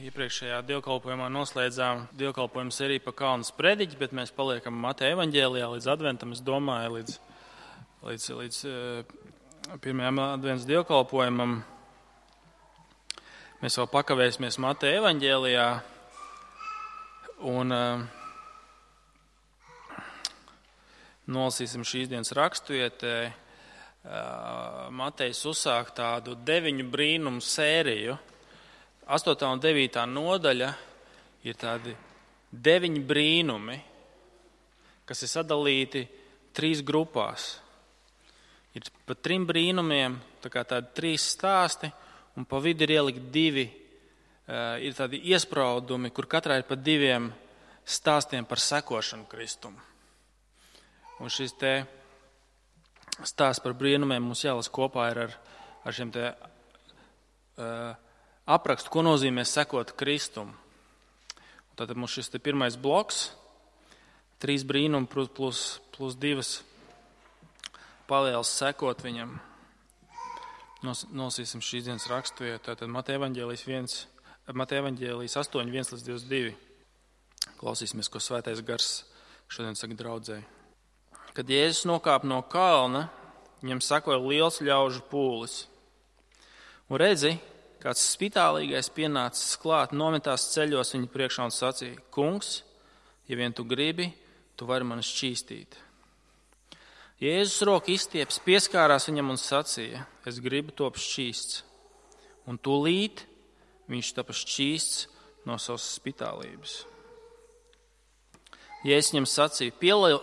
iepriekšējā dievkalpojumā noslēdzām dievkalpojumu sēriju pa Kalnas prediķi, bet mēs paliekam Mateja evaņģēlijā līdz adventam, es domāju, līdz pirmajam advents dievkalpojumam. Mēs vēl pakavēsimies Mateja evaņģēlijā un nolasīsim šīs dienas rakstvietē. Matejs uzsāk tādu 9 brīnumu sēriju. 8. un 9. nodaļa ir tādi 9 brīnumi, kas ir sadalīti 3 grupās. Ir pa 3 brīnumiem, tā kā tādi 3 stāsti, un pa vidu ir ielikt 2, ir tādi iespraudumi, kur katrā ir pa 2 stāstiem par sekošanu Kristumu. Un šis te stāsts par brīnumiem mums jālas kopā ir ar šiem te aprakstu, ko nozīmē sekot Kristumu. Tātad mums šis te pirmais bloks, 3 brīnumi plus 2 palielas sekot viņam. Nolasīsim šīs dienas rakstvietu. Tātad Mateja evaņģēlijas 8, 1-22. Klausīsimies, ko Svētais Gars šodien saka draudzei. Kad Jēzus nokāpa no kalna, viņam sakoja liels ļaužu pūlis. Un redzi, kāds spitālīgais pienācis klāt, nometās ceļos viņa priekšā un sacīja: Kungs, ja vien tu gribi, tu vari mani šķīstīt. Jēzus roku izstieps, pieskārās viņam un sacīja: Es gribu top šķīsts. Un tūlīt viņš tapa šķīsts no savas spitālības. Jēzus viņam sacīja: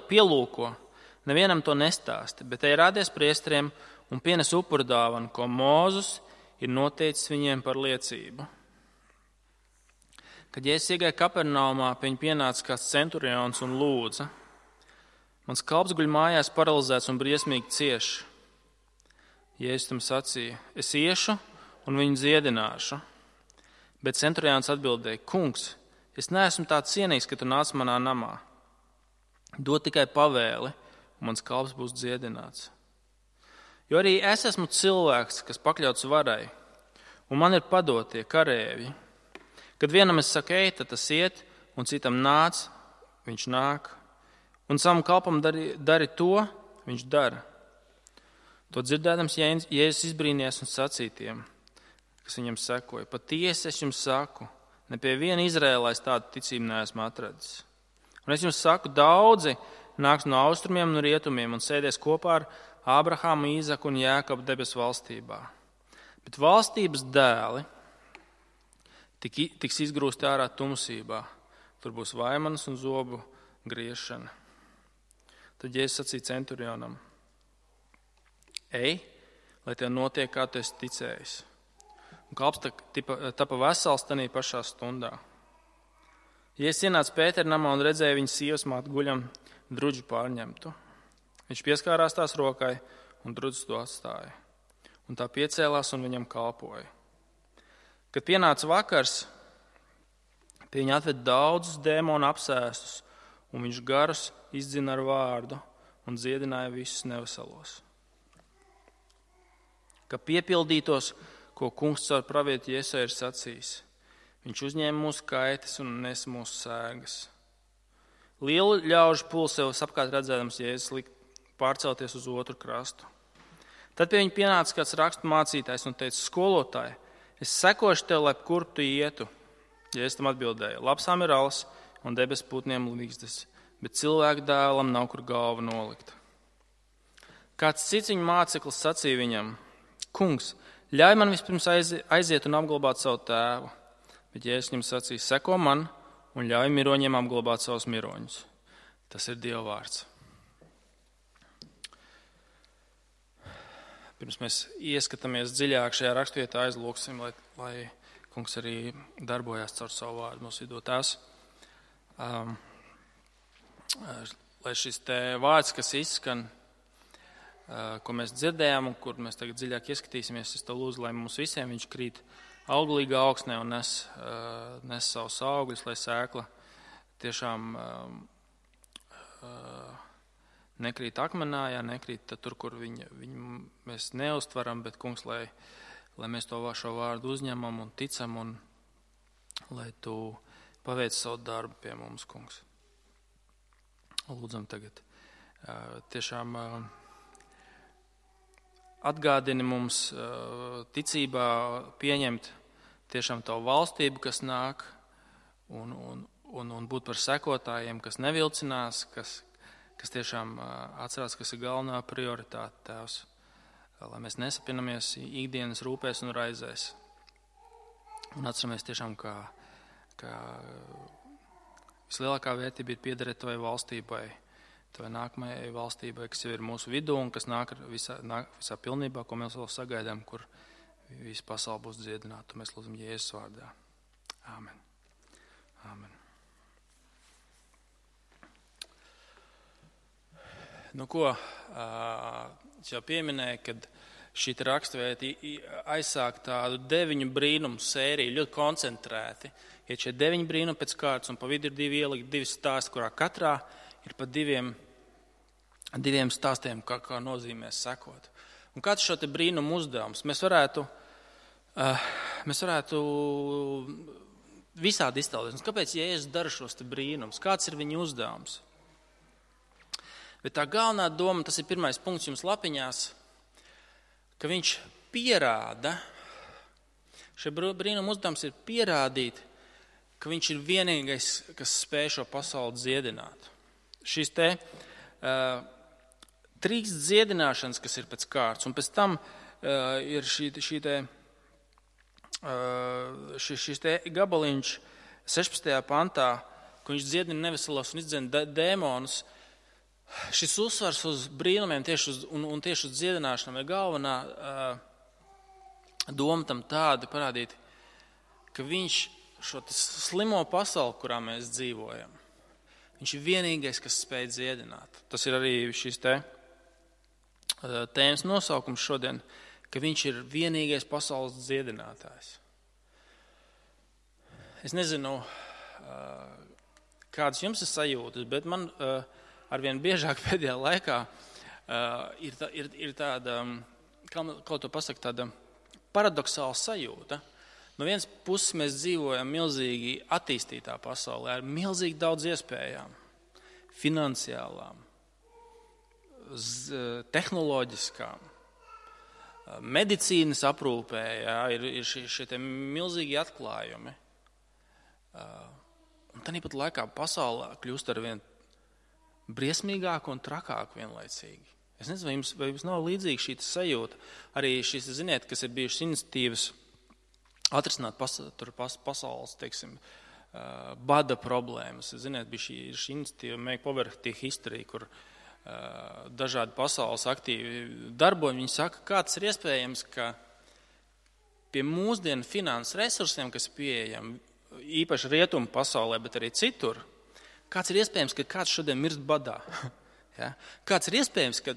Pielūko, nevienam to nestāsti, bet ej rādies priesteriem un pienes upuru dāvanu, ko Mūzes ir noteicis viņiem par liecību. Kad Jēzus iegāja Kapernaumā, pie viņa pienāca kāds centurions un lūdza: Mans kalps guļ mājās paralizēts un briesmīgi cieš. Jēzus tam sacīja: Es iešu un viņu dziedināšu. Bet centurions atbildēja: Kungs, es neesmu tā cienīgs, ka tu nāc manā namā. Dod tikai pavēli, un mans kalps būs dziedināts. Jo arī es esmu cilvēks, kas pakļauts varai, un man ir padotie karēvi. Kad vienam es saku ej, tad tas iet, un citam nāc, viņš nāk, un savam kalpam dari to, viņš dara. To dzirdēdams Jēzus izbrīnījās un sacīja tiem, kas viņam sekoja: Patiesi es jums saku, ne pie viena Izrēlā es tādu ticību neesmu atradis. Un es jums saku, daudzi nāks no austrumiem un rietumiem un sēdēs kopā ar Ābrahāmu, Īzaku un Jēkabu debesu valstībā. Bet valstības dēli tiks izgrūsti ārā tumsībā. Tur būs vaimanas un zobu griešana. Tad Jēzus sacīja centurionam: Ej, lai tev notiek, kā tu esi ticējis. Un kalps tapa vesels tanī pašā stundā. Jēzus ienāca Pētera namā un redzēja viņa sievas māti guļam druģu pārņemtu. Viņš pieskārās tās rokai un drudzis to atstāja. Un tā piecēlās un viņam kalpoja. Kad pienāca vakars, pie viņa atved daudzus dēmonu apsēstus, un viņš garus izdzina ar vārdu un dziedināja visus neveselos. Ka piepildītos, ko kungs caur pravietu Jesaja ir sacījis: Viņš uzņēma mūsu kaitas un nes mūsu sēgas. Lielu ļaužu pūli sev apkārt redzēdams Jēzus lika pārcelties uz otru krastu. Tad pie viņa pienāca kāds rakstu mācītājs un teica: Skolotāji, es sekošu tev, lai kur tu ietu. Jēzus tam atbildēja: Lapsām ir alas un debesu putniem līgzdas, bet cilvēku dēlam nav kur galva nolikt. Kāds cits viņa māceklis sacīja viņam: Kungs, ļauj man vispirms aiziet un apglabāt savu tēvu. Bet Jēzus viņam sacīja: Seko man un ļauj miroņiem apglabāt savus miroņus. Tas ir Dieva vārds. Pirms mēs ieskatāmies dziļāk šajā rakstvietā, aizlūksim, lai kungs arī darbojās caur savu vārdu mūsu vidū. Tās, lai šis te vārds, kas izskan, ko mēs dzirdējām un kur mēs tagad dziļāk ieskatīsimies, es to lūdzu, lai mums visiem viņš krīt auglīgā augsnē un nes savus augļus, lai sēkla tiešām nekrīt akmenā, nekrīt tur, kur viņu mēs neuztveram, bet kungs, lai mēs šo vārdu uzņemam un ticam un lai tu paveic savu darbu pie mums, kungs. Lūdzam tagad tiešām atgādini mums ticībā pieņemt tiešām tavu valstību, kas nāk, un būt par sekotājiem, kas nevilcinās, kas tiešām atcerās, kas ir galvenā prioritāte, Tēvs, lai mēs nesapinamies ikdienas rūpēs un raizēs. Un atceramies tiešām, ka vislielākā vērtība ir piederēt tavai valstībai, tavai nākamajai valstībai, kas jau ir mūsu vidū un kas nāk visā pilnībā, ko mēs vēl sagaidām, kur visa pasaule būs dziedināta. Mēs lūdzam Jēzus vārdā. Āmen. Āmen. Nu ko, es jau pieminēju, kad šī rakstvieta aizsāk tādu 9 brīnumu sēriju, ļoti koncentrēti. Ir šie 9 brīnumi pēc kārtas, un pa vidu ir 2 ielikt, 2 stāsti, kurā katrā ir pa 2 stāstiem, kā nozīmēs sekot. Un kāds šo te brīnumu uzdevums? Mēs varētu visādi iztēloties. Kāpēc Jēzus dara šos te brīnumus? Kāds ir viņa uzdevums? Bet tā galvenā doma, tas ir pirmais punkts jums lapiņās, ka viņš pierāda, šie brīnuma uzdevums ir pierādīt, ka viņš ir vienīgais, kas spēj šo pasauli dziedināt. Šīs te 3 dziedināšanas, kas ir pēc kārtas, un pēc tam ir šis te gabaliņš 16. pantā, ka viņš dziedina neveselos un izdzēna dēmonus. Šis uzsvars uz brīnumiem un tieši uz dziedināšanām ir galvenā doma tam tāda parādīt, ka viņš šo slimo pasauli, kurā mēs dzīvojam, viņš ir vienīgais, kas spēj dziedināt. Tas ir arī šis tēmas nosaukums šodien, ka viņš ir vienīgais pasaules dziedinātājs. Es nezinu, kādas jums ir sajūtas, bet man arvien biežāk pēdējā laikā ir tāda, kā to pasaka, tāda paradoxāla sajūta. No vienas puses mēs dzīvojam milzīgi attīstītā pasaulē, ar milzīgi daudz iespējām, finansiālām, tehnoloģiskām, medicīnas aprūpē, ir šie te milzīgi atklājumi. Un tāpat laikā pasaulē kļūst arvien briesmīgāk un trakāk vienlaicīgi. Es nezinu, vai jums nav līdzīga šī sajūta. Arī šīs, ziniet, kas ir bijušas iniciatīvas atrisināt pasaules, teiksim, bada problēmas. Ziniet, bija šī iniciatīva Make Poverty History, kur dažādi pasaules aktīvi darbojas. Viņi saka, kā tas ir iespējams, ka pie mūsdienu finanses resursiem, kas ir pieejami, īpaši rietumu pasaulē, bet arī citur, kāds ir iespējams, ka kāds šodien mirst badā? Ja? Kāds ir iespējams, ka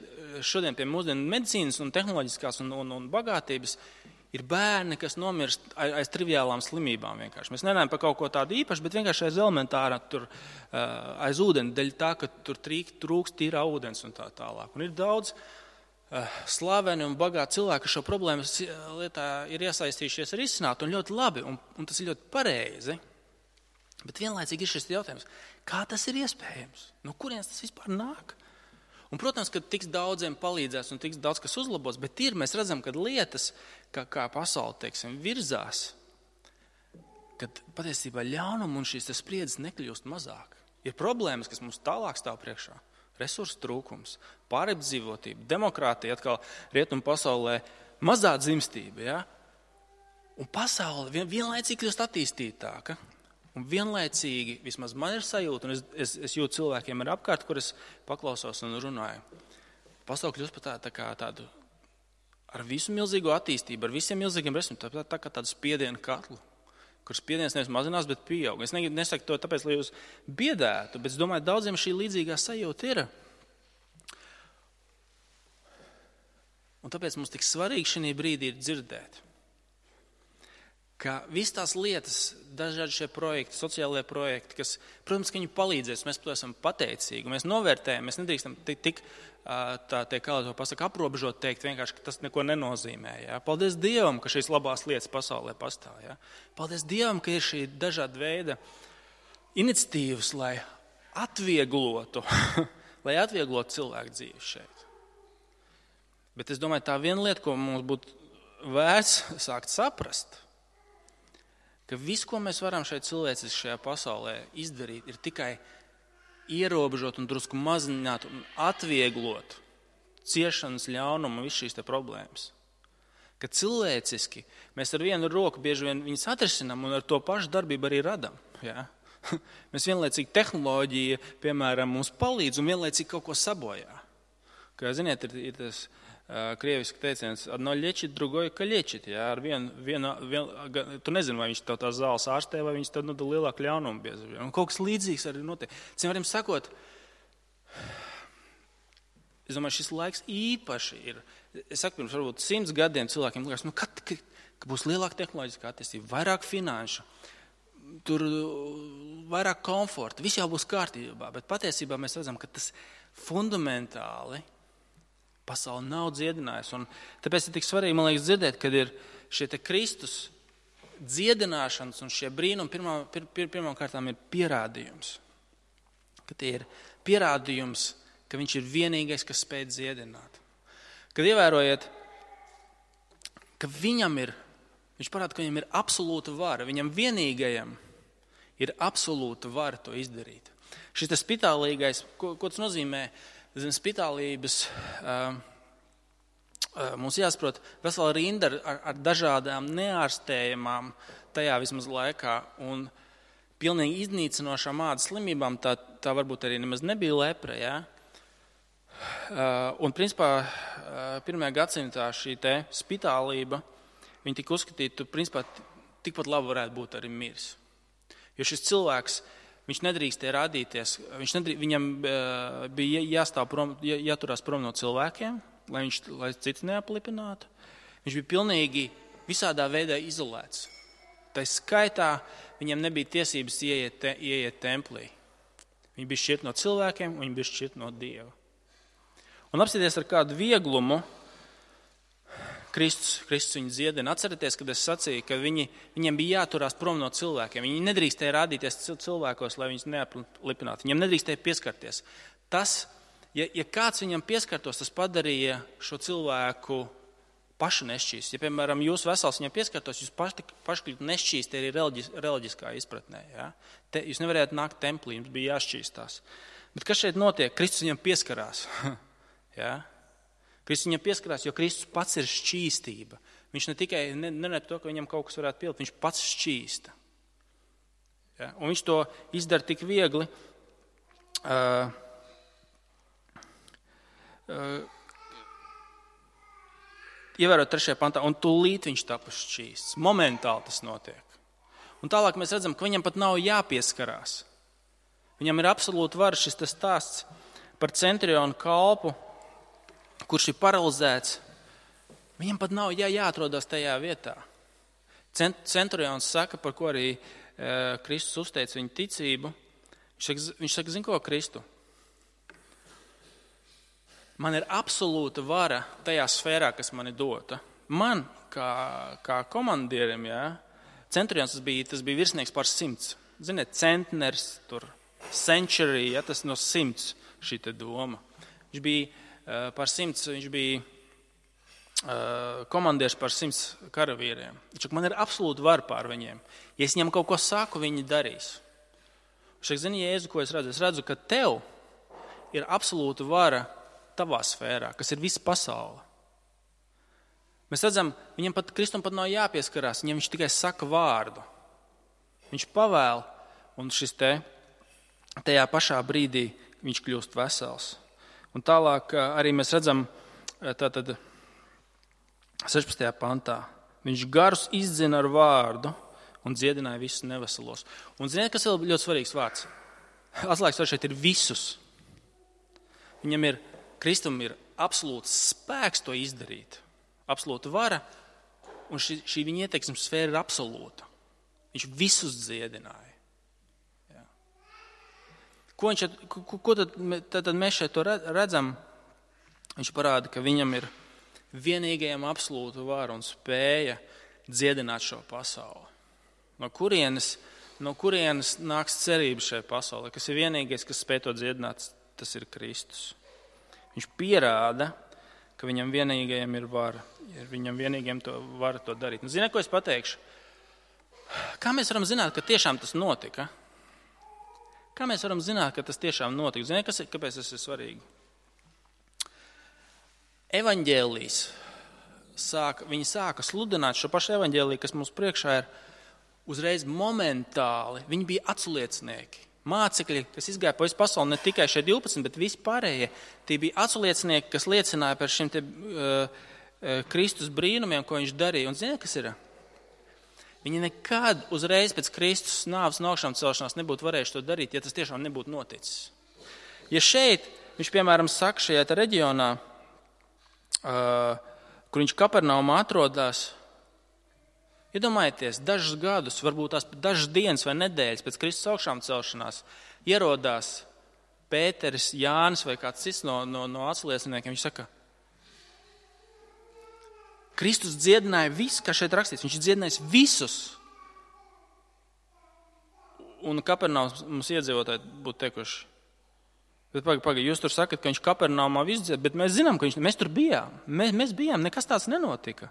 šodien pie mūsdienu medicīnas un tehnoloģiskās un bagātības ir bērni, kas nomirst aiz triviālām slimībām vienkārši. Mēs nerunājam par kaut ko tādu īpašu, bet vienkārši aiz elementāra aiz ūdeni, dēļ tā, ka tur trūkst tīrā ūdens un tā tālāk. Un ir daudz slaveni un bagāti cilvēki, kas šo problēmu lietā ir iesaistījušies risināt un ļoti labi, un tas ir ļoti pareizi. Bet vienlaicīgi ir šis jautājums, kā tas ir iespējams? No kurienes tas vispār nāk? Un, protams, ka tiks daudziem palīdzēs un tiks daudz kas uzlabos, bet mēs redzam, ka lietas, kā pasaule, teiksim, virzās, kad patiesībā ļaunuma un šīs spriedzes nekļūst mazāk. Ir problēmas, kas mums tālāk stāv priekšā. Resursu trūkums, pārapdzīvotība, demokrātija, atkal rietumu pasaulē mazā dzimstība. Ja? Un pasaule vienlaicīgi kļūst attīstītāka. Un vienlaicīgi, vismaz man ir sajūta, un es jūtu cilvēkiem ar apkārt, kur es paklausos un runāju. Pasaule kļūst par tādu ar visu milzīgo attīstību, ar visiem milzīgiem resursiem, tā kā tādu spiedienu katlu, kur spiediens nevis mazinās, bet pieaug. Es nesaku to tāpēc, lai jūs biedētu, bet es domāju, daudziem šī līdzīgā sajūta ir. Un tāpēc mums tik svarīgi šī brīdī ir dzirdēt, ka visas tās lietas, dažādi šie projekti, sociālie projekti, kas, protams, ka viņi palīdzēs, mēs par to esam pateicīgi, mēs novērtējam, mēs nedrīkstam tik kā to pasaka, aprobežot teikt vienkārši, ka tas neko nenozīmē. Ja? Paldies Dievam, ka šīs labās lietas pasaulē pastāv. Ja? Paldies Dievam, ka ir šī dažāda veida iniciatīvas, lai atvieglotu cilvēku dzīvi šeit. Bet es domāju, tā viena lieta, ko mums būtu vērts sākt saprast, ka viss, ko mēs varam šeit cilvēciski šajā pasaulē izdarīt, ir tikai ierobežot un drusku mazināt un atvieglot ciešanas ļaunumu un visu šīs te problēmas. Ka cilvēciski mēs ar vienu roku bieži vien viņas atrisinām un ar to pašu darbību arī radam. Ja? Mēs vienlaicīgi tehnoloģija, piemēram, mums palīdz un vienlaicīgi kaut ko sabojā. Kā ziniet, ir tas krieviski teiciens, одно лечит, другое калечит. Ja? Ar tu nezini, vai viņš tev tās zāles ārstē, vai viņš tev nodala lielāku ļaunumu bieži. Un kaut kas līdzīgs arī notiek. Cim sakot, es domāju, šis laiks īpaši ir. Es saku, pirms varbūt 100 gadiem cilvēkiem liekas, ka būs lielāka tehnoloģiskā attīstība, vairāk finanšu, tur vairāk komforta, viss jau būs kārtībā, bet patiesībā mēs redzam, ka tas fundamentāli pasauli nav dziedinājusi. Un tāpēc ir tik svarīgi, man liekas, dzirdēt, kad ir šie te Kristus dziedināšanas un šie brīnumi pirmām kārtām ir pierādījums. Ka tie ir pierādījums, ka viņš ir vienīgais, kas spēj dziedināt. Kad ievērojiet, ka viņš parāda, ka viņam ir absolūta vara, viņam vienīgajam ir absolūta vara to izdarīt. Šis tas spitālīgais, ko tas nozīmē, zem spitālības mums jāsaprot vesela rinda ar dažādām neārstējamām tajā vismaz laikā un pilnīgi iznīcinošām ādas slimībām, tā varbūt arī nemaz nebija lepra, ja? Un principā pirmajā gadsimtā šī te spitālība, viņa tika uzskatīta, principā tikpat labi varētu būt arī miris. Jo šis cilvēks, viņš nedrīkstēja rādīties, viņam bija jāturās prom no cilvēkiem, lai cits neaplipinātu. Viņš bija pilnīgi visādā veidā izolēts. Tā skaitā viņam nebija tiesības ieiet templī. Viņi bija šķirt no cilvēkiem, un viņi bija šķirt no Dieva. Un apsieties ar kādu vieglumu, Kristus viņu dziedina. Atcerieties, kad es sacīju, ka viņiem bija jāturās prom no cilvēkiem. Viņi nedrīkstēja rādīties cilvēkos, lai viņus neaplipinātu. Viņiem nedrīkstēja pieskarties. Tas, ja kāds viņam pieskartos, tas padarīja šo cilvēku pašu nešķīst. Ja, piemēram, jūs vesels viņam pieskartos, jūs paši kļūt nešķīsti arī reliģiskā izpratnē. Ja? Jūs nevarētu nākt templī, jums bija jāšķīstās. Bet kas šeit notiek? Kristus viņam pieskarās. Ja? Kristus viņam pieskarās, jo Kristus pats ir šķīstība. Viņš ne tikai nerunā par to, ka viņam kaut kas varētu pielikt, viņš pats šķīsta. Ja? Un viņš to izdara tik viegli. Ievērot 3. pantā, un tūlīt viņš tapa šķīsts. Momentāli tas notiek. Un tālāk mēs redzam, ka viņam pat nav jāpieskarās. Viņam ir absolūti vara šis tas stāsts par centurionu kalpu, kurš ir paralizēts. Viņam pat nav jāatrodās tajā vietā. Centurions saka, par ko arī Kristus uzteica viņa ticību. Viņš saka, zin ko, Kristu? Man ir absolūta vara tajā sfērā, kas man ir dota. Man, kā komandierim, centurions tas bija virsnieks par 100. Ziniet, centners, century, tas no 100 šī te doma. Viņš bija par 100, viņš bija komandieris par 100 karavīriem. Man ir absolūti vara pār viņiem. Ja es viņam kaut ko saku, viņi darīs. Zini, Jēzu, ko es redzu? Es redzu, ka tev ir absolūta vara tavā sfērā, kas ir visa pasaule. Mēs redzam, viņam Kristum pat nav jāpieskarās, viņam viņš tikai saka vārdu. Viņš pavēl, un tajā pašā brīdī viņš kļūst vesels. Un tālāk arī mēs redzam, tātad 16. pantā, viņš garus izdzina ar vārdu un dziedināja visus neveselos. Un ziniet, kas ir ļoti svarīgs vārds? Atslēgas vārds šeit ir visus. Kristum ir absolūts spēks to izdarīt, absolūta vara, un šī viņa ieteiksmes sfēra ir absolūta. Viņš visus dziedināja. Jā. Ko tad mēs šeit to redzam? Viņš parāda, ka viņam ir vienīgajam absolūta vara un spēja dziedināt šo pasauli. No kurienes nāks cerība šai pasaulē? Kas ir vienīgais, kas spēj to dziedināt, tas ir Kristus. Viņš pierāda, ka viņam vienīgajam ir vara. Viņam vienīgajam vara to darīt. Un zini, ko es pateikšu? Kā mēs varam zināt, ka tiešām tas notika? Kā mēs varam zināt, ka tas tiešām notika? Zini, kāpēc tas ir svarīgi? Evaņģēlijs viņi sāka sludināt šo pašu evaņģēliju, kas mums priekšā ir uzreiz momentāli. Viņi bija aculiecinieki. Mācekļi, kas izgāja pa visu pasauli, ne tikai šie 12, bet visi pārējie, tie bija aculiecinieki, kas liecināja par šiem Kristus brīnumiem, ko viņš darīja. Un ziniet, kas ir? Viņi nekad uzreiz pēc Kristus nāves un augšām celšanās nebūtu varējuši to darīt, ja tas tiešām nebūtu noticis. Ja šeit, viņš piemēram saka šajā reģionā, kur viņš Kapernaumā atrodas, iedomājieties, dažus gadus, varbūt tās dažas dienas vai nedēļas pēc Kristus augšām celšanās, ierodās Pēteris, Jānis vai kāds cits no aculieciniekiem. Viņš saka, Kristus dziedināja visu, kā šeit rakstīts, viņš dziedinājis visus. Un Kapernaums mums iedzīvotāji būtu teikuši, bet pagaidi, jūs tur sakat, ka viņš Kapernaumā visu dzied, bet mēs zinām, ka mēs tur bijām. Mēs bijām, nekas tāds nenotika.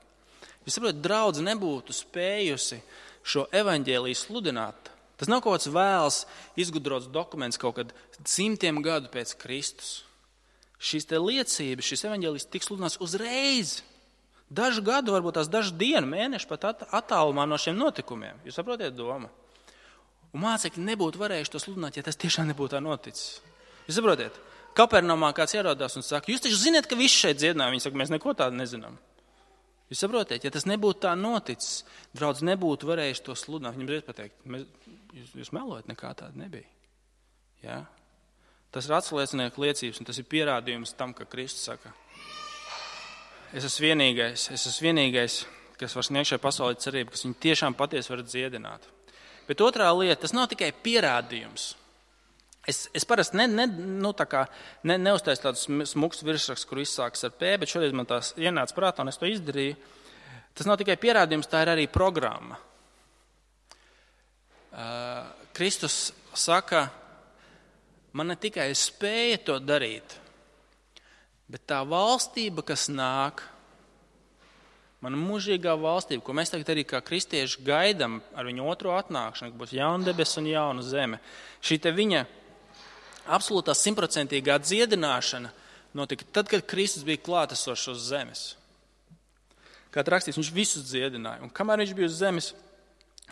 Jūs saprotat, draudze nebūtu spējusi šo evaņģēliju sludināt. Tas nav kaut kāds vēls izgudrots dokuments kaut kad 100 gadu pēc Kristus. Šīs te liecības, šis evaņģēlijs tiks sludināts uzreiz. Dažu gadu, varbūt tās dažu dienu, mēnešu pat attālumā no šiem notikumiem. Jūs saprotiet domu? Un mācekļi nebūtu varējuši to sludināt, ja tas tiešām nebūtu tā noticis. Jūs saprotiet? Kapernaumā kāds ierodās un saka, jūs taču zināt, ka viss šeit dziedināja. Viņi saka, mēs neko tādu nezinām. Jūs saprotiet, ja tas nebūtu tā noticis, draudz nebūtu varējuši to sludināt. Viņam reiz pateikt, jūs melojat, nekā tāda nebija. Ja? Tas ir aculiecinieku liecības, un tas ir pierādījums tam, ka Kristus saka, es esmu vienīgais, kas var sniegt šai pasaulē cerību, kas viņu tiešām patiesi var dziedināt. Bet otrā lieta, tas nav tikai pierādījums. Es parasti neuztaisu tādus smukus virsrakstus, kur izsākas ar P, bet šodien man tās ienāca prātā un es to izdarīju. Tas nav tikai pierādījums, tā ir arī programma. Kristus saka, man ne tikai spēja to darīt, bet tā valstība, kas nāk, mana mūžīgā valstība, ko mēs tagad arī kā kristieši gaidām ar viņu otro atnākšanu, ka būs jauna debesis un jauna zeme, šī te viņa absolūtā 100% dziedināšana notika tad, kad Kristus bija klātesošs uz zemes. Kā rakstīts, viņš visus dziedināja. Un kamēr viņš bija uz zemes,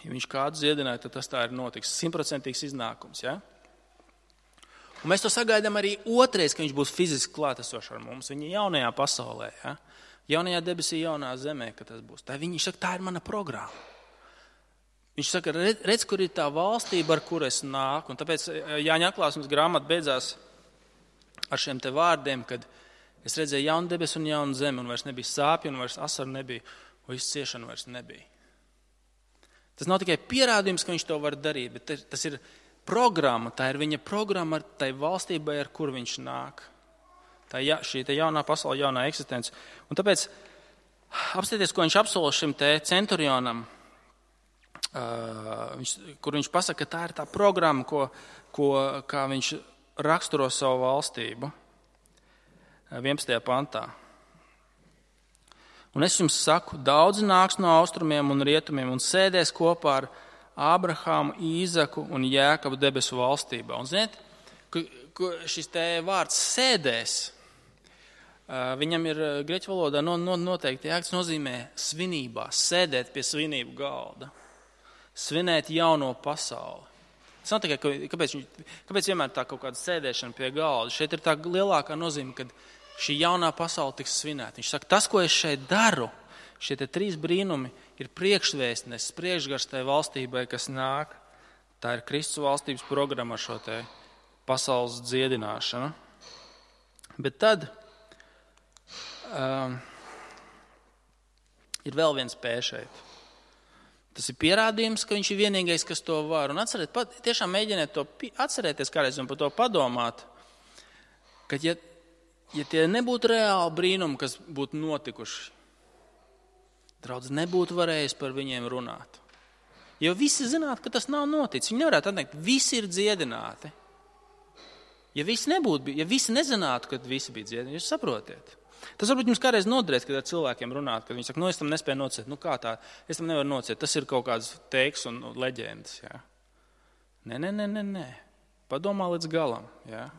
ja viņš kādu dziedināja, tad tas tā ir notiks. 100% iznākums. Ja? Un mēs to sagaidām arī otrais, ka viņš būs fiziski klātesošs ar mums. Viņa jaunajā pasaulē, ja? Jaunajā debesī, jaunā zemē, ka tas būs. Viņš saka, tā ir mana programma. Viņš saka, redz, kur ir tā valstība, ar kuru es nāku. Un tāpēc Jāņa atklāsmes grāmata beidzās ar šiem te vārdiem, kad es redzēju jaunu debesu un jaunu zemi, un vairs nebija sāpju, un vairs asaru nebija, un viss ciešana vairs nebija. Tas nav tikai pierādījums, ka viņš to var darīt, bet tas ir programma, tā ir viņa programma ar tai valstībai, ar kur viņš nāk. Tā šī te jaunā pasaule, jaunā eksistence. Un tāpēc apstieties, ko viņš apsola šim te centurionam, kur viņš pasaka, ka tā ir tā programma, kā viņš raksturo savu valstību 11. pantā. Un es jums saku, daudzi nāks no austrumiem un rietumiem un sēdēs kopā ar Ābrahāmu, Īzaku un Jēkabu debesu valstībā. Un ziniet, šis te vārds sēdēs, viņam ir grieķu valodā noteikti jēgas nozīmē svinībā, sēdēt pie svinību galda, svinēt jauno pasauli. Tas nav tikai, kāpēc vienmēr tā kaut kāda sēdēšana pie galda. Šeit ir tā lielākā nozīme, kad šī jaunā pasaule tiks svinēta. Viņš saka, tas, ko es šeit daru, šie te 3 brīnumi ir priekšvēstnes, priekšgars tai valstībai, kas nāk. Tā ir Kristus valstības programma ar šo te pasaules dziedināšanu. Bet tad Ir vēl viens P šeit. Tas ir pierādījums, ka viņš ir vienīgais, kas to var. Un tiešām mēģiniet to atcerēties kādreiz un par to padomāt, ka ja tie nebūtu reāli brīnumi, kas būtu notikuši, draudz nebūtu varējis par viņiem runāt. Jo visi zinātu, ka tas nav noticis. Viņi nevarētu atteikt, visi ir dziedināti. Ja visi nezinātu, ka visi bija dziedināti, jūs saprotiet. Tas varbūt jums kādreiz noderēs, kad ar cilvēkiem runāt, kad viņi saka, es tam nespēju nociet. Kā tā? Es tam nevaru nociet. Tas ir kaut kāds teiks un leģendas. Jā. Nē. Padomā līdz galam. Jā.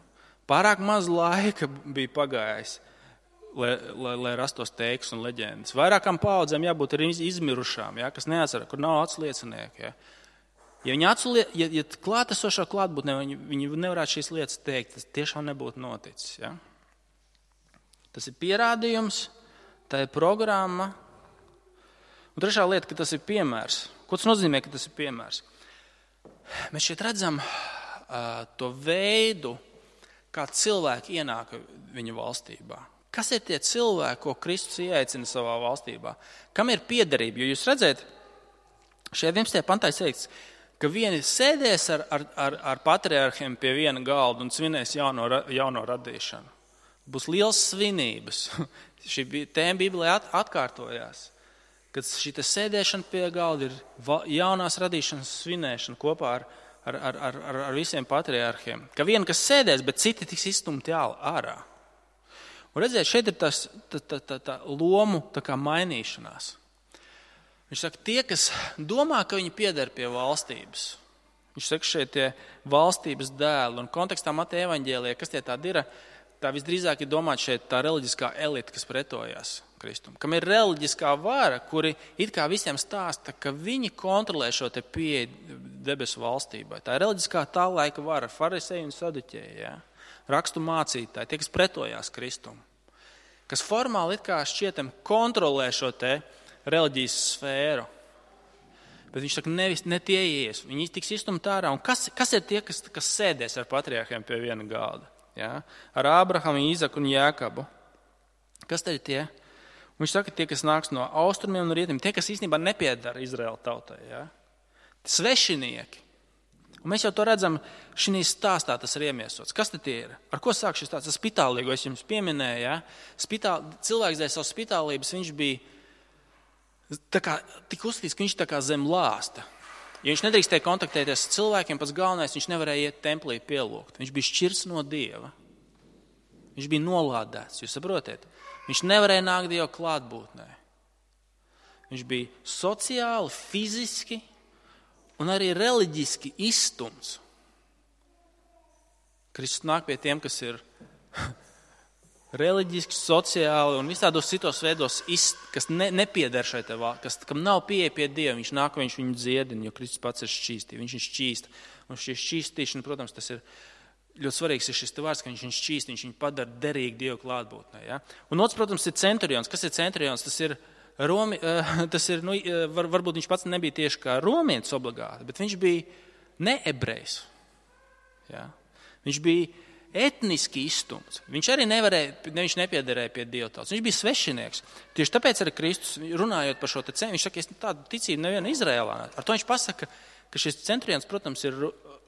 Pārāk maz laika bija pagājis, lai rastos teiks un leģendas. Vairākām paudzēm jābūt arī izmirušām, jā, kas neatcerās, kur nav atsliecinieki. Jā. Ja klātesošā klātbūtnē viņi nevarētu šīs lietas teikt, tas tiešām nebūtu noticis. Jā. Tas ir pierādījums, tā ir programma. Un trešā lieta, ka tas ir piemērs. Ko tas nozīmē, ka tas ir piemērs? Mēs šeit redzam to veidu, kā cilvēki ienāk viņa valstībā. Kas ir tie cilvēki, ko Kristus ieaicina savā valstībā? Kam ir piederība? Jo jūs redzat, šajā 11. pantā teikts, ka vieni sēdēs ar patriarhiem pie viena galda un svinēs jauno radīšanu. Būs liels svinības. Šī tēma Bībelē atkārtojās, kad šī sēdēšana pie galda ir jaunās radīšanas svinēšana kopā ar visiem patriarhiem. Ka vieni, kas sēdēs, bet citi tiks izstumti ārā. Un redziet, šeit ir tā lomu tā kā mainīšanās. Viņš saka, tie, kas domā, ka viņi pieder pie valstības. Viņš saka, šeit tie valstības dēli. Un kontekstā Mateja evaņģēlijā, kas tie tādi ir? Tā visdrīzāk ir domāt šeit tā reliģiskā elite, kas pretojās Kristum. Kam ir reliģiskā vara, kuri it kā visiem stāsta, ka viņi kontrolē šo te pieeju debesu valstībai. Tā ir reliģiskā tā laika vara, fariseji un saduķēji, ja? Rakstu mācītāji, tie, kas pretojās Kristum. Kas formāli it kā šķietam kontrolē šo te reliģijas sfēru. Bet viņš saka, ne tie ies, viņi tiks izstumti ārā. Un kas ir tie, kas sēdēs ar patriarhiem pie viena galda? Ja? Ar Ābrahamu, Īzaku un Jēkabu. Kas tad ir tie? Viņš saka, tie, kas nāks no austrumiem un rietumiem, tie, kas īstenībā nepiedara Izraēla tautai. Ja? Svešinieki. Un mēs jau to redzam, šī stāstā tas ir iemiesots. Kas tad tie ir? Ar ko sāk šis stāsts? Tas spitālīgo, es jums pieminēju. Ja? Cilvēks dēļ savas spitālības, viņš bija tik uzskatīts, ka viņš tā kā zem lāsta. Ja viņš nedrīkstēja kontaktēties ar cilvēkiem, pats galvenais, viņš nevarēja iet templī pielūgt. Viņš bija šķirts no Dieva. Viņš bija nolādēts, jūs saprotiet? Viņš nevarēja nākt Dieva klātbūtnē. Viņš bija sociāli, fiziski un arī reliģiski izstumts. Kristus nāk pie tiem, kas ir reliģiski, sociāli un visādos citos veidos, kas nepieder šai te valsts, kam nav pieeja pie Dieva. Viņš nāk, viņš viņu dziedina, jo Kristus pats ir šķīsti. Viņš ir šķīst. Un šī šķīstīšana, protams, tas ir ļoti svarīgs ir šis vārds, ka viņš ir šķīst, viņš viņu padara derīgi Dieva klātbūtnē. Ja? Un otrs, protams, ir centurions. Kas ir centurions? Varbūt viņš pats nebija tieši kā romietis obligāti, bet viņš bija ne ebrejs. Ja? Viņš bija etniski izstumts. Viņš arī viņš nepiederēja pie Dieva tautas. Viņš bija svešinieks. Tieši tāpēc arī Kristus, runājot par šo te cenu, viņš saka, es tādu ticību nevienu Izrēlā. Ar to viņš pasaka, ka šis centurions, protams, ir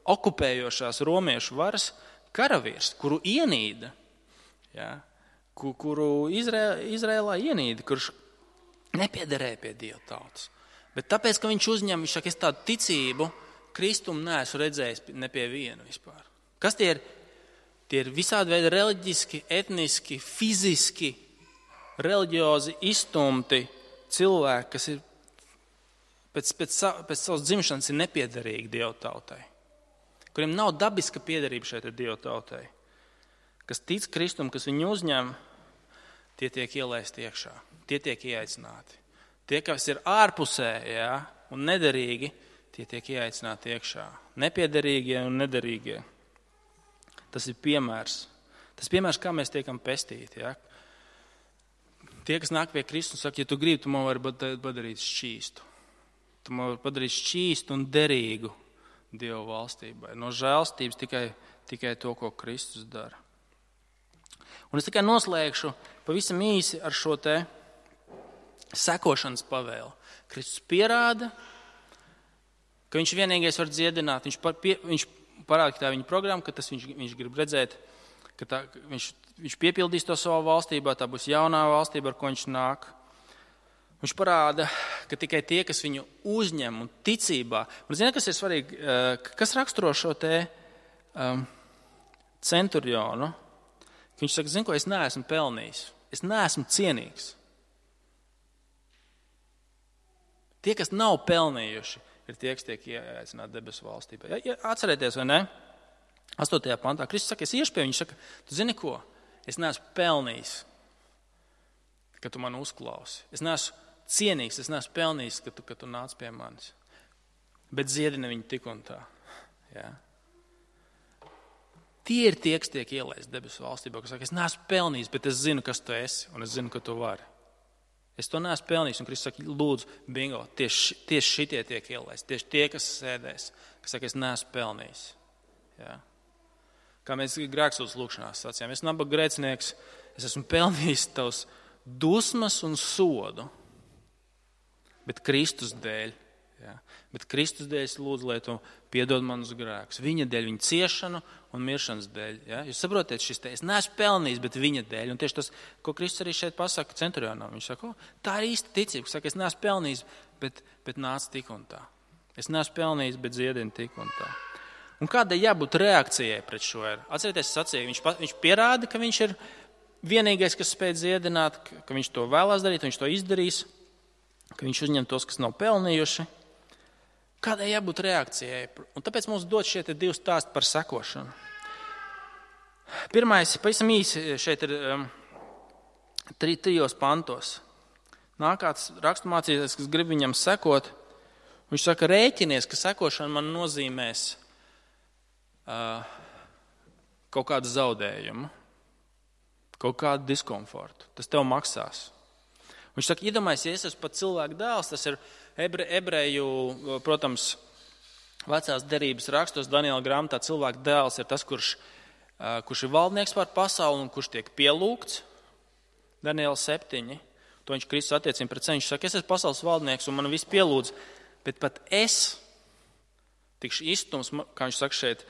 okupējošās romiešu varas karavīrs, kuru ienīda, ja, kuru Izrēlā ienīda, kurš nepiederēja pie Dieva tautas. Bet tāpēc, ka viņš viņš saka, es tādu ticību Kristum neesmu redzējis ne pie viena vispār. Kas tie ir? Tie ir visādi veidi reliģiski, etniski, fiziski, reliģiozi izstumti cilvēki, kas ir pēc savas dzimšanas ir nepiederīgi Dieva tautai, kuriem nav dabiska piederība šeit ar Dieva tautai. Kas tic Kristum, kas viņu uzņem, tie tiek ielaisti iekšā, tie tiek ieaicināti. Tie, kas ir ārpusē, ja, un nederīgi, tie tiek ieaicināti iekšā. Nepiederīgie un nederīgie. Tas ir piemērs. Tas piemērs, kā mēs tiekam pestīti. Ja? Tie, kas nāk pie Kristus, saka, ja tu gribi, tu man vari padarīt šķīstu. Tu man vari padarīt šķīstu un derīgu Dieva valstībai. No žēlstības tikai to, ko Kristus dara. Un es tikai noslēgšu pavisam īsi ar šo te sekošanas pavēle. Kristus pierāda, ka viņš vienīgais var dziedināt. Viņš parāda, ka tā ir viņa programma, ka tas viņš grib redzēt, ka viņš piepildīs to savā valstībā, tā būs jaunā valstība, ar ko viņš nāk. Viņš parāda, ka tikai tie, kas viņu uzņem un ticībā. Un zini, kas ir svarīgi, kas raksturo šo te centurionu? Viņš saka, zini, ko es neesmu pelnījis. Es neesmu cienīgs. Tie, kas nav pelnījuši, ir tie, kas tiek ieaicināti debesu valstībā. Ja, atcerieties, vai ne? 8. pantā Kristus saka, es iešu pie viņa, saka, tu zini ko? Es neesmu pelnījis, ka tu mani uzklausi. Es neesmu cienīgs, es neesmu pelnījis, ka tu nāc pie manis. Bet dziedini viņu tik un tā. Ja? Tie ir tie, kas tiek ielaisti debesu valstībā, kas saka, es neesmu pelnījis, bet es zinu, kas tu esi, un es zinu, ka tu vari. Es to neesmu pelnījis, un Kristus saka, lūdzu, bingo, tieši šitie tiek ielaisti, tieši tie, kas sēdēs, kas saka, es neesmu pelnījis. Ja? Kā mēs grēksūdzes lūkšanās sacījām, es nabaga grēcinieks, es esmu pelnījis tavs dusmas un sodu, bet Kristus dēļ. Ja? Bet Kristus dēļ es lūdzu, lai tu piedod manus grēkus. Viņa dēļ, viņa ciešanu un miršanas dēļ. Ja? Jūs saprotiet šis te, es neesmu pelnījis, bet viņa dēļ. Un tieši tas, ko Kristus arī šeit pasaka centurionam, viņš saka, tā ir īsta ticība. Saka, es neesmu pelnījis, bet nāc tik un tā. Es neesmu pelnījis, bet dziedini tik un tā. Un kādai jābūt reakcijai pret šo? Atcerieties, sacīja, viņš pierāda, ka viņš ir vienīgais, kas spēj dziedināt, ka viņš to vēlās darīt, viņš to izdarīs, ka viņš uzņem tos, kas nav pelnījuši. Kādai jābūt reakcijai? Un tāpēc mums dod šie divi stāsti par sekošanu. Pirmais, pavisam īsi, šeit ir 3 pantos. Nāk kāds raksturmācītājs, kas grib viņam sekot. Viņš saka, rēķinies, ka sekošana man nozīmēs kaut kādu zaudējumu, kaut kādu diskomfortu. Tas tev maksās. Viņš saka, iedomājies, ja es esmu pat cilvēku dēls, tas ir ebreju, protams, vecās derības rakstos, Daniela grāmatā cilvēku dēls ir tas, kurš ir valdnieks pār pasauli un kurš tiek pielūgts. Daniela 7. To viņš Kristus attiecina pret sevi. Viņš saka, es esmu pasaules valdnieks un man viss pielūdz, bet pat es tikšu izstums, kā viņš saka šeit,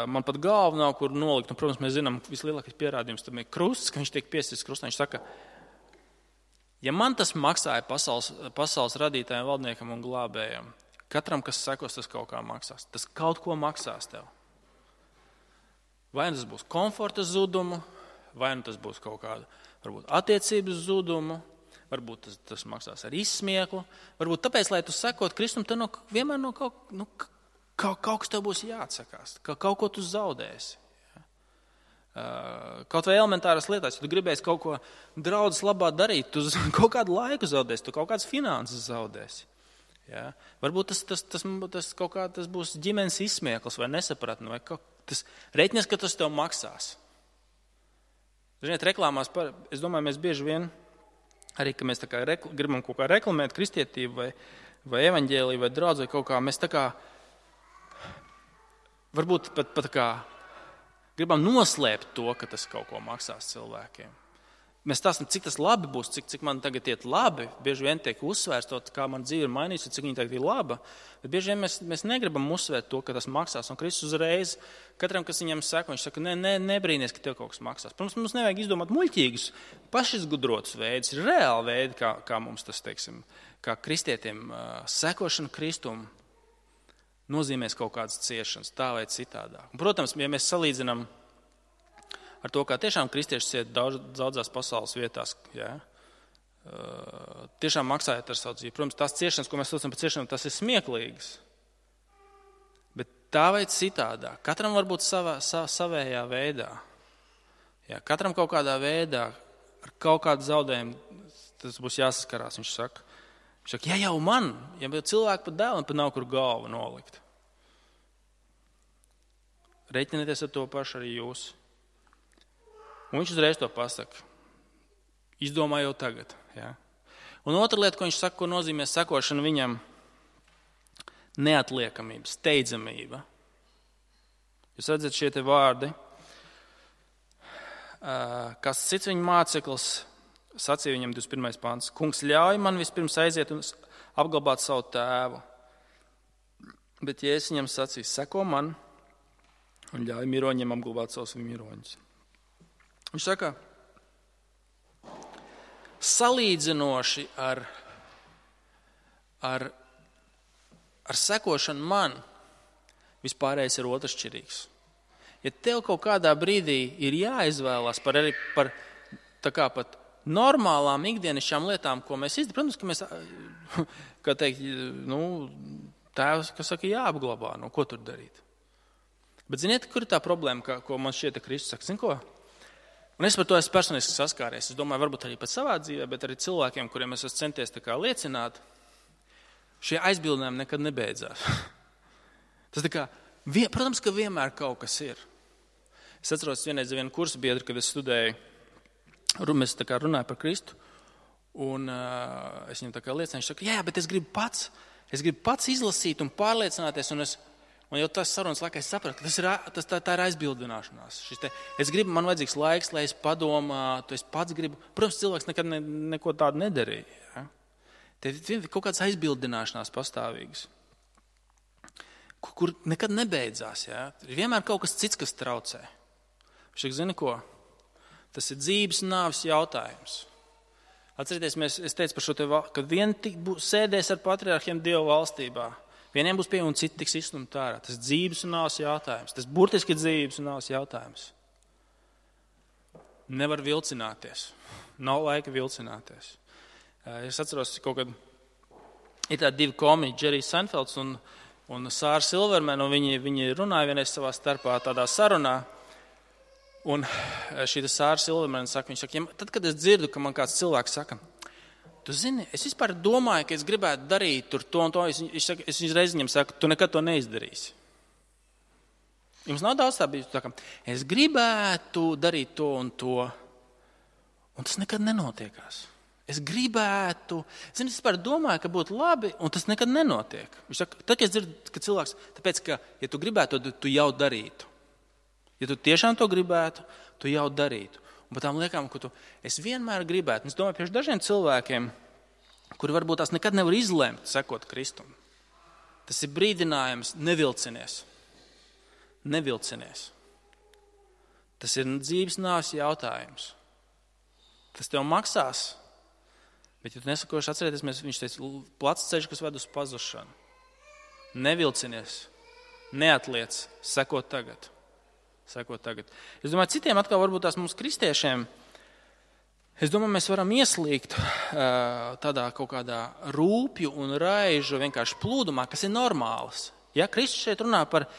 man pat galva nav, kur nolikt. Un, protams, mēs zinām, vislielākais pierādījums tam ir krusts, ka viņš tiek piesits krustā. Viņš saka, ja man tas maksāja pasaules radītājiem, valdniekam un glābējiem, katram, kas sekos, tas kaut kā maksās. Tas kaut ko maksās tev. Vai tas būs komforta zudumu, vai tas būs kaut kāda, varbūt, attiecības zudumu, varbūt tas maksās ar izsmieklu, varbūt tāpēc, lai tu sekot Kristum, tad vienmēr kaut kas tev būs jāatsakās, ka kaut ko tu zaudēsi. Kaut vai elementāras lietās, ja tu gribēsi kaut ko draudzes labā darīt, tu kaut kādu laiku zaudēsi, tu kaut kādas finanses zaudēsi. Ja? Varbūt tas būs ģimenes izsmieklis vai nesapratni, vai tas reiķinies, ka tas tev maksās. Ziniet, reklāmās, es domāju, mēs bieži vien, arī, ka mēs tā kā gribam kaut kā reklamēt kristietību vai evaņģēliju vai draudzi vai kaut kā, mēs tā kā, varbūt pat tā kā, gribam noslēpt to, ka tas kaut ko maksās cilvēkiem. Mēs stāstam, cik tas labi būs, cik man tagad iet labi. Bieži vien tiek uzsvērts to, kā man dzīve ir mainījusi, cik viņa tagad ir laba. Bet bieži vien mēs negribam uzsvērt to, ka tas maksās. Un Kristus uzreiz, katram, kas viņam saka, viņš saka, nebrīnies, ka tev kaut kas maksās. Protams, mums nevajag izdomāt muļķīgus, pašizgudrotus veidus. Ir reāli veidi, kā mums tas, teiksim, kā kristietiem sekošana Kristum nozīmēs kaut kādas ciešanas, tā vai citādāk. Un, protams, ja mēs salīdzinām ar to, kā tiešām kristieši ciet daudzās pasaules vietās, ja, tiešām maksājot ar savu dzīvi. Protams, tās ciešanas, ko mēs saucam par ciešanām, tas ir smieklīgas. Bet tā vai citādāk, katram varbūt savējā veidā. Ja, katram kaut kādā veidā, ar kaut kādu zaudējumu, tas būs jāsaskarās, viņš saka. Viņš saka, ja jau man, ja cilvēku pat dēlam pat nav kur galvu nolikt. Reiķinieties ar to pašu arī jūs. Un viņš uzreiz to pasaka. Izdomā jau tagad. Ja? Un otra lieta, ko viņš saka, ko nozīmē sekošana viņam, neatliekamība, steidzamība. Jūs redzat šie te vārdi. Kas cits viņa māceklis sacīja viņam 21. pants. Kungs ļauj man vispirms aiziet un apglabāt savu tēvu. Bet Jēzus viņam sacīja, seko man un ļauj miroņiem apglabāt savus miroņus. Viņš saka, salīdzinoši ar sekošanu man, vispārējais ir otršķirīgs. Ja tev kaut kādā brīdī ir jāizvēlās par tā kā pat normālām ikdienišķām lietām, ko mēs izdarām, protams, ka mēs, kā teikt, tēvs, kas saka, jāapglabā, ko tur darīt. Bet ziniet, kur ir tā problēma, ko man šķiet, ka Kristus saka, zin ko? Un es par to esmu personiski saskāries. Es domāju, varbūt arī pat savā dzīvē, bet arī cilvēkiem, kuriem es esmu centies tā kā liecināt, šie aizbildinājumi nekad nebeidzās. Tas tā kā, protams, ka vienmēr kaut kas ir. Es atceros vienreiz vienu kursu biedru, kad es studēju, mēs tā kā runāju par Kristu, un es viņam tā kā liecināju, viņš saka, jā, bet es gribu pats izlasīt un pārliecināties, un jau tas sarunas laikā es sapratu, ka tā ir aizbildināšanās. Man vajadzīgs laiks, lai es padomātu, es pats gribu. Protams, cilvēks nekad neko tādu nedarīja. Ja? Te ir kaut kāds aizbildināšanās pastāvīgs, kur nekad nebeidzās. Ja? Ir vienmēr kaut kas cits, kas traucē. Viņš saka, zini ko? Tas ir dzīves un nāves jautājums. Atcerieties, es teicu par šo te, ka vieni sēdēs ar patriarhiem Dievu valstībā. Vieniem būs pieejami un citi tiks izstumti ārā. Tas ir dzīves un nāves jautājums. Tas burtiski ir dzīves un nāves jautājums. Nevar vilcināties. Nav laika vilcināties. Es atceros, kaut kad ir tādi divi komiķi, Džerijs Seinfelds un Sāra Silvermana, un viņi runāja vienreiz savā starpā tādā sarunā. Un šī Sāra Silvermana saka, tad, kad es dzirdu, ka man kāds cilvēks saka, tu zini, es vispār domāju, ka es gribētu darīt tur to un to, es reiz viņam saku, tu nekad to neizdarīsi. Jums nav daudz tā bijis, es gribētu darīt to un to, un tas nekad nenotiekās. Es gribētu, es vispār domāju, ka būtu labi, un tas nekad nenotiek. Viņš saka, tad, kad es dzirdu, ka cilvēks, tāpēc, ka, ja tu gribētu, tu jau darītu. Ja tu tiešām to gribētu, tu jau darītu. Un par tām liekām, ka es vienmēr gribētu, un es domāju, priekš dažiem cilvēkiem, kuri varbūt tās nekad nevar izlemt, sekot Kristum. Tas ir brīdinājums, nevilcinies. Nevilcinies. Tas ir dzīves nāves jautājums. Tas tev maksās, bet ja tu nesakoši atcerieties, viņš teica, plats ceļš, kas ved uz pazušanu. Nevilcinies, neatliec, sekot tagad. Es domāju, citiem atkal varbūt tās mums kristiešiem, es domāju, mēs varam ieslīgt tādā kaut kādā rūpju un raižu vienkārši plūdumā, kas ir normāls. Ja, Kristus šeit runā par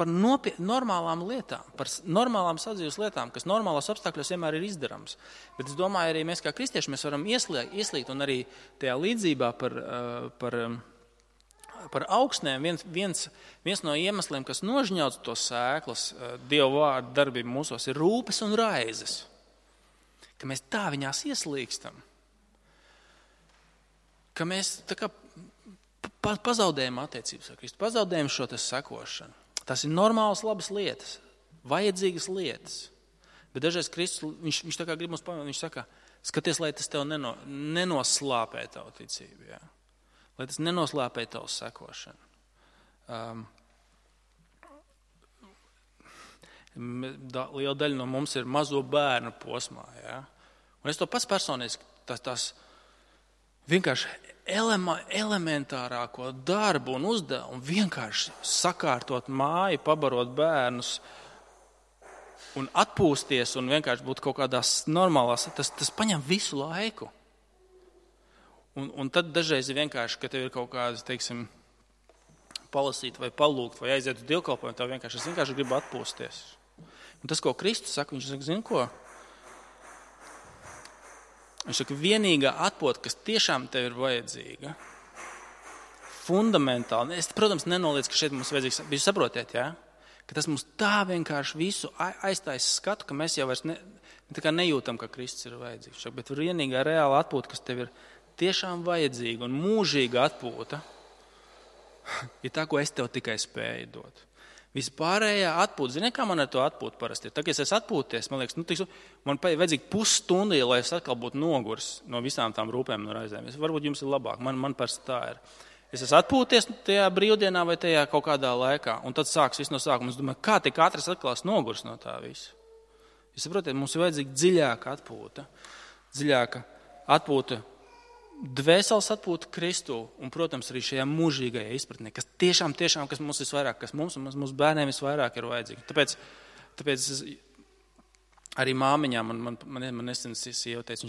normālām lietām, par normālām sadzīves lietām, kas normālos apstākļos vienmēr ir izdarams. Bet es domāju, arī mēs kā kristieši mēs varam ieslīgt un arī tajā līdzībā par augsnēm viens no iemesliem, kas nožņauc to sēklas, Dieva vārda darbību mūsos, ir rūpes un raizes. Ka mēs tā viņās ieslīgstam. Ka mēs tā kā pazaudējam attiecības ar Kristu, pazaudējam šo te sekošanu. Tas ir normālas, labas lietas, vajadzīgas lietas. Bet dažreiz Kristus, viņš tā kā grib mums pamanīt, viņš saka, skaties, lai tas tev nenoslāpē tavu ticību, jā. Lai tas nenoslāpē tavu sekošanu. Liela daļa no mums ir mazo bērnu posmā. Ja? Un es to pats personiski, tās vienkārši elementārāko darbu un uzdevumu vienkārši sakārtot māju, pabarot bērnus un atpūsties un vienkārši būt kaut kādās normālās, tas paņem visu laiku. Un tad dažreiz ir vienkārši, ka tev ir kaut kādas, teiksim, palasīt vai palūgt vai aiziet uz dievkalpojumu, tev vienkārši gribu atpūsties. Un tas, ko Kristus saka, viņš saka, zini ko? Viņš saka, vienīgā atpūta, kas tiešām tev ir vajadzīga, fundamentāli, es, protams, nenoliedzu, ka šeit mums vajadzīgs, bet jūs saprotiet, ja? Ka tas mums tā vienkārši visu aiztais skatu, ka mēs jau vairs nejūtam, ka Kristus ir vajadzīgs. Bet vienīgā reāla atpūta, kas tev ir tiešām vajadzīga un mūžīga atpūta, ir tā, ko es tev tikai spēju dot. Vispārējā atpūta. Ziniet, kā man ar to atpūtu parasti ir? Tagad, kad es atpūties, man liekas, man vajadzīgi pusstundī, lai es atkal būtu noguris no visām tām rūpēm un raizēm. Varbūt jums ir labāk, man parasti tā ir. Es esmu atpūties tajā brīvdienā vai tajā kaut kādā laikā, un tad sāks viss no sākuma. Es domāju, kā tik ātri es atkal esmu noguris no tā visa. Jūs saprotiet, mums ir vajadzīga dziļāka atpūta, dvēseles atpūta Kristū, un, protams, arī šajā mūžīgajā izpratnē, kas tiešām, kas mums visvairāk, kas mums un mūsu bērniem visvairāk ir vajadzīgi. Tāpēc arī māmiņām, man nesen sieva teica,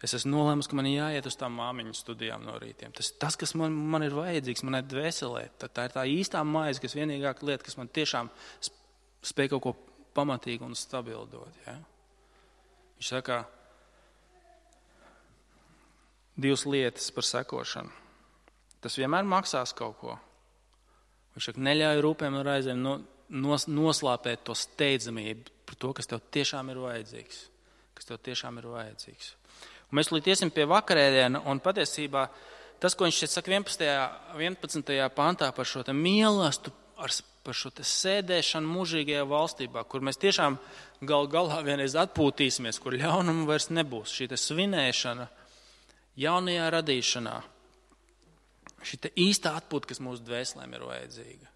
es esmu nolēmusi, ka man ir jāiet uz tām māmiņu studijām no rītiem. Tas kas man ir vajadzīgs, manai dvēselē, tā ir tā īstā maize, kas vienīgāka lieta, kas man tiešām spēj kaut ko pamatīgi un stabili dot. Ja? Viņš saka, 2 lietas par sekošanu. Tas vienmēr maksās kaut ko. Viņš saka, neļauj rūpēm un raizēm noslāpēt to steidzamību par to, kas tev tiešām ir vajadzīgs. Un mēs līdz iesim pie vakarēdiena, un patiesībā tas, ko viņš šeit saka 11. pantā par šo te mīlestību, par šo te sēdēšanu mūžīgajā valstībā, kur mēs tiešām galā vienreiz atpūtīsimies, kur ļaunumu vairs nebūs. Šī te svinēšana jaunajā radīšanā, šī te īstā atpūta, kas mūsu dvēselēm ir vajadzīga.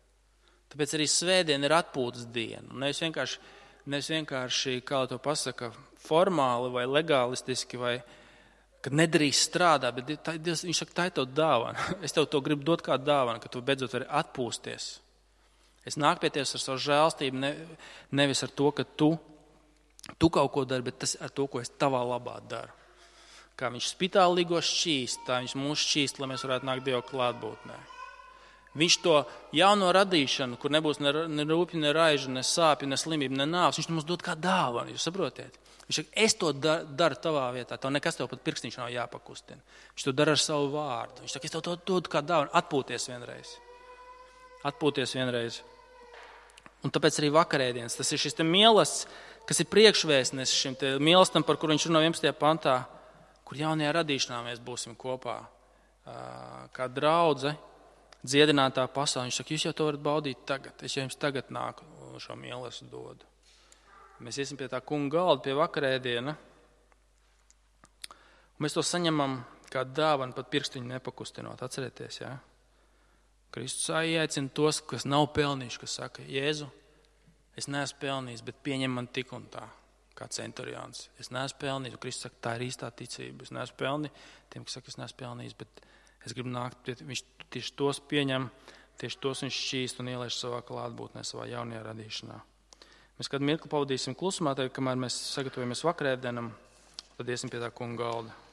Tāpēc arī svētdiena ir atpūtas diena. Nevis vienkārši, kā to pasaka, formāli vai legālistiski, vai kad nedrīkst strādāt, bet viņš saka, tā ir tev dāvana. Es tev to gribu dot kā dāvana, ka tu beidzot vari atpūsties. Es nāku pie tevis ar savu žēlstību, nevis ar to, ka tu kaut ko dari, bet tas ar to, ko es tavā labā daru. Kā viņš spitālīgo šķīst, tā viņš mūs šķīst, lai mēs varētu nākt Dieva klātbūtnē. Viņš to jauno radīšanu, kur nebūs ne rūpju, ne raižu, ne sāpju, ne slimību, ne nāves, viņš mums dod kā dāvanu, jūs saprotiet? Viņš saka, es to daru tavā vietā, tev nekas tev pat pirkstiņš nav jāpakustina. Viņš to dara ar savu vārdu. Viņš saka, es tev to dodu kā dāvanu, atpūties vienreiz. Un tāpēc arī vakarēdienas, tas ir šis te mīlestības, kas ir priekšvēstnes šim te mīlestam, par kur viņš runā 11. pantā, kur jaunajā radīšanā mēs būsim kopā kā draudze, dziedinātā pasaulē. Viņš saka, jūs jau to varat baudīt tagad, es jau jums tagad nāku šo mīlestību dodu. Mēs iesim pie tā kunga galda, pie vakarēdiena, un mēs to saņemam kā dāvanu, pat pirkstiņu nepakustinot. Atcerieties, ja? Kristus aicina tos, kas nav pelnījuši, kas saka, Jēzu, es neesmu pelnījis, bet pieņem man tik un tā. Kā centurions. Es neesmu pelnījis, un Kristus saka, tā ir īstā ticība. Es neesmu pelnījis, tiem, kas saka, es neesmu pelnījis, bet es gribu nākt, viņš tieši tos pieņem, tieši tos viņš šķīst un ielaiž savā klātbūtnē, savā jaunajā radīšanā. Mēs kādu mirkli pavadīsim klusumā, tad, kamēr mēs sagatavojamies vakarēdienam, tad iesim pie tā kunga galda.